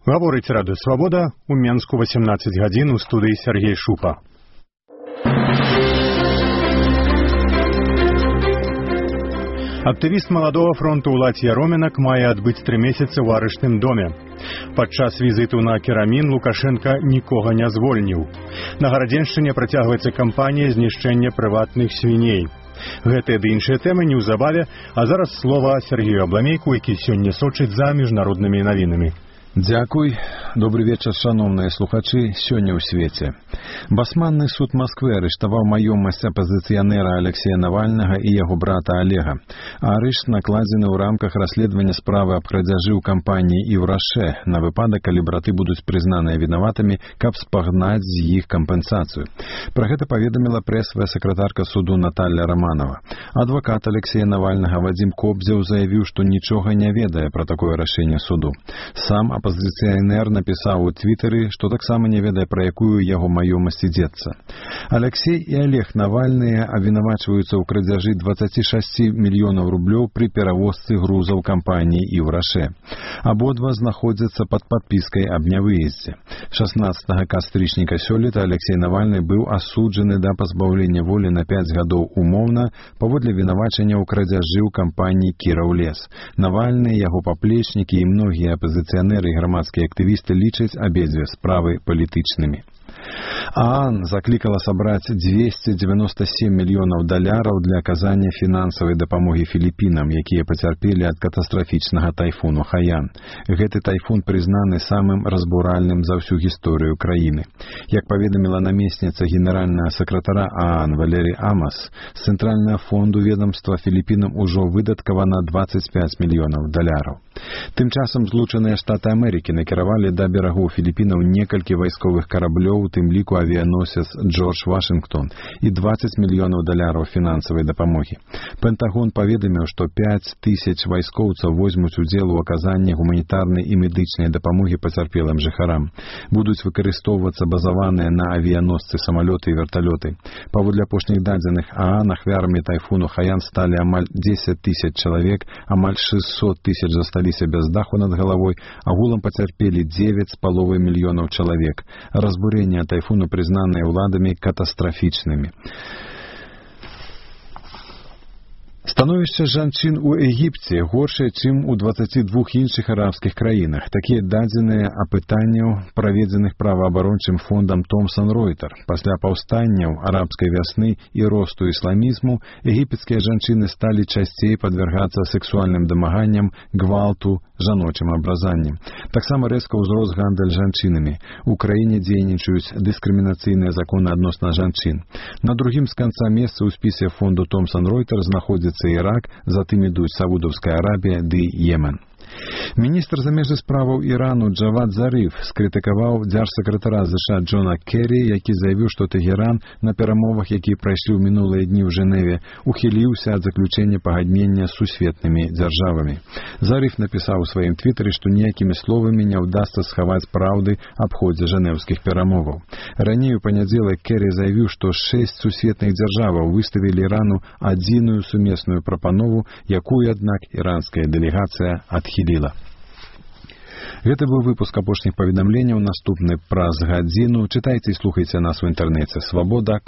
Гаворыць Радыё Свабода, у Менску 18 гадзін, у студыі Сергей Шупа. Актывіст маладога фронту Уладзь Яроменак мае адбыць 3 месяцы ў арыштным доме. Падчас візіту на Керамін Лукашенка нікога не звольніў. На Гарадзеншчыне працягваецца кампанія знішчэння прыватных свіней. Гэтыя ды іншыя тэмы неўзабаве, а зараз слова Сергею Абламейку, які сёння сочыць за міжнароднымі навінамі. Дзякуй. Добры вечар, шановныя слухачы. Сёння ў свеце. Басманны суд Москвы арыштаваў маёмасць апазіцыянера Алексея Навальнага і яго брата Олега. Арышт накладзены ў рамках расследавання справы аб крадзяжы ў кампаніі «Івраше» на выпадак, калі браты будуць прызнаныя вінаватымі, каб спагнаць з іх кампенсацыю. Пра гэта паведаміла прэсавая сакратарка суду Наталья Романова. Адвакат Алексея Навальнага Вадзім Кобзеў заявіў, што нічога не ведае пра такое рашэнне суду. Сам апазіцыянер напісаў у твітары, што таксама не ведае, пра якую яго маёмасць ідзецца. Алексей і Олег Навальныя абвінавачваюцца ў крадзяжы 26 мільёнаў рублёў пры перавозцы грузаў кампаніі «Івраше». Абодва знаходзяцца пад падпіскай аб нявыездзе. 16 кастрычніка сёлета Алексей Навальны быў асуджаны да пазбаўлення волі на 5 гадоў умоўна паводле вінавачання ў крадзяжы ў кампаніі «Кіраўлес». Навальны, яго паплечнікі і многія апазіцыянеры і грамадскія актывісты лічаць абедзве справы палітычнымі. ААН заклікала сабраць 297 мільёнаў даляраў для аказання фінансавай дапамогі Філіпінам, якія пацярпелі ад катастрафічнага тайфуну Хаян. Гэты тайфун прызнаны самым разбуральным за ўсю гісторыю краіны. Як паведаміла намесніца генеральнага сакратара ААН Валерій Амас, з цэнтральнага фонду ведомства Філіпінам ужо выдаткавана 25 мільёнаў даляраў. Тым часам Злучаныя Штаты Амерыкі накіравалі да берагоў Філіпінаў некалькі вайсковых караблёў, у тым ліку авіяносец Джордж Вашингтон, і 20 мільёнаў даляраў фінансавай дапамогі. Пентагон паведаміў, што 5000 вайскоўцаў возьмуць удзел у аказанні гуманітарнай і медычнай дапамогі пацярпелым жыхарам. Будуць выкарыстоўвацца базаваныя на авіяносцы самалёты і верталёты. Паводле апошніх дадзеных ААН ахвярамі тайфуну Хаян сталі амаль 10 000 чалавек, амаль 600 000 засталіся без даху над галавой, агулам пацярпелі 9,5 мільёнаў чалавек. Разбурення тайфуну прызнаныя ўладамі катастрафічнымі. Становішча жанчын у Егіпце горшае, чым у 22 іншых арабскіх краінах. Такія дадзеныя апытанняў, праведзеных праваабарончым фондам Томсон Ройтер. Пасля паўстанняў арабскай вясны і росту ісламізму егіпецкія жанчыны сталі часцей падвяргацца сексуальным дамаганням, гвалту, жаночым абразаннем. Таксама рэзка ўзрос гандаль жанчынамі. У краіне дзейнічаюць дыскрымінацыйныя законы адносна жанчын. На другім з канца месца ў спісе фонду Томсон Ройтер знаходзіцца Ірак, затым ідуць Саудаўская Арабія ды Йемен. Міністр замежных справаў Ірану Джавад Зариф скрытыкаваў дзяржсакратара США Джона Керрі, які заявіў, што Тэгеран на перамовах, якія прайшлі ў мінулыя дні ў Жэневе, ухіліўся ад заключэння пагаднення з сусветнымі дзяржавамі. Зариф напісаў у сваім твітары, што ніякімі словамі не ўдасца схаваць праўды аб ходзе жэнеўскіх перамоваў. Раней у панядзелак Керрі заявіў, што 6 сусветных дзяржаваў выставілі Ірану адзіную сумесную прапанову, якую, аднак, іранская дэлегацыя адхіліла. Гэта быў выпуск апошніх паведамленняў, наступны праз гадзіну. Чытайце і слухайце нас у інтэрнэце. Свабода.